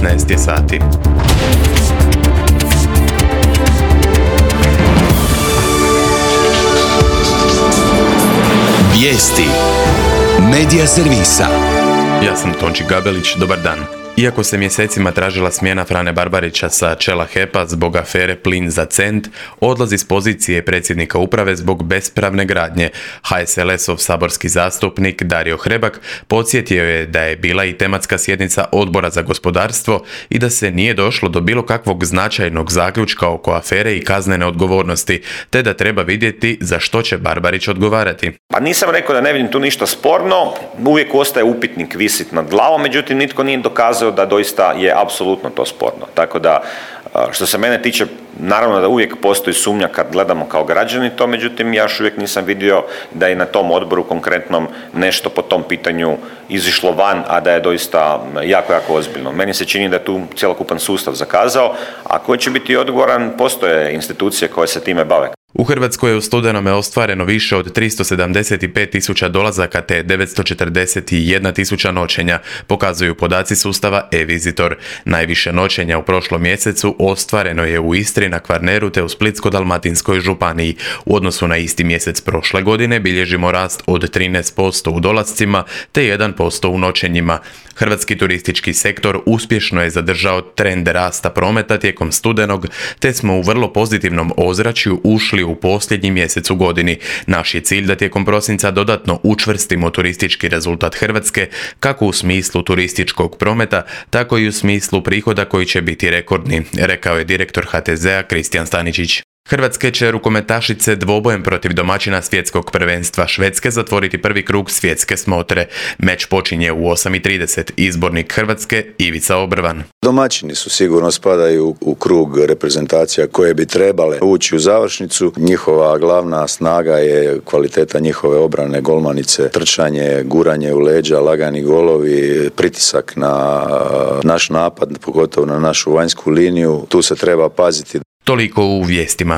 16 je sati. Vijesti Medija servisa. Ja sam Tonči Gabelić, dobar dan. Iako se mjesecima tražila smjena Frane Barbarića sa čela HEP-a zbog afere Plin za cent, odlazi s pozicije predsjednika uprave zbog bespravne gradnje. HSLS-ov saborski zastupnik Dario Hrebak podsjetio je da je bila i tematska sjednica Odbora za gospodarstvo i da se nije došlo do bilo kakvog značajnog zaključka oko afere i kaznene odgovornosti, te da treba vidjeti za što će Barbarić odgovarati. Pa nisam rekao da ne vidim tu ništa sporno, uvijek ostaje upitnik visit nad glavom, međutim nitko nije dokazao da doista je apsolutno to sporno. Tako da, što se mene tiče, naravno da uvijek postoji sumnja kad gledamo kao građani to, međutim ja još uvijek nisam vidio da je na tom odboru konkretnom nešto po tom pitanju izišlo van, a da je doista jako, jako ozbiljno. Meni se čini da je tu cjelokupan sustav zakazao, a koji će biti odgovoran, postoje institucije koje se time bave. U Hrvatskoj je u studenome ostvareno više od 375.000 dolazaka te 941.000 noćenja, pokazuju podaci sustava e-Visitor. Najviše noćenja u prošlom mjesecu ostvareno je u Istri, na Kvarneru te u Splitsko-dalmatinskoj županiji. U odnosu na isti mjesec prošle godine bilježimo rast od 13% u dolascima te 1% u noćenjima. Hrvatski turistički sektor uspješno je zadržao trend rasta prometa tijekom studenog, te smo u vrlo pozitivnom ozračju ušli u posljednji mjesec u godini. Naš je cilj da tijekom prosinca dodatno učvrstimo turistički rezultat Hrvatske, kako u smislu turističkog prometa, tako i u smislu prihoda koji će biti rekordni, rekao je direktor HTZ-a Kristijan Staničić. Hrvatske će rukometašice dvobojem protiv domaćina svjetskog prvenstva Švedske zatvoriti prvi krug svjetske smotre. Meč počinje u 8:30. Izbornik Hrvatske Ivica Obrvan. Domaćini su sigurno spadaju u krug reprezentacija koje bi trebale ući u završnicu. Njihova glavna snaga je kvaliteta njihove obrane, golmanice, trčanje, guranje u leđa, lagani golovi, pritisak na naš napad, pogotovo na našu vanjsku liniju. Tu se treba paziti. Toliko u vijestima.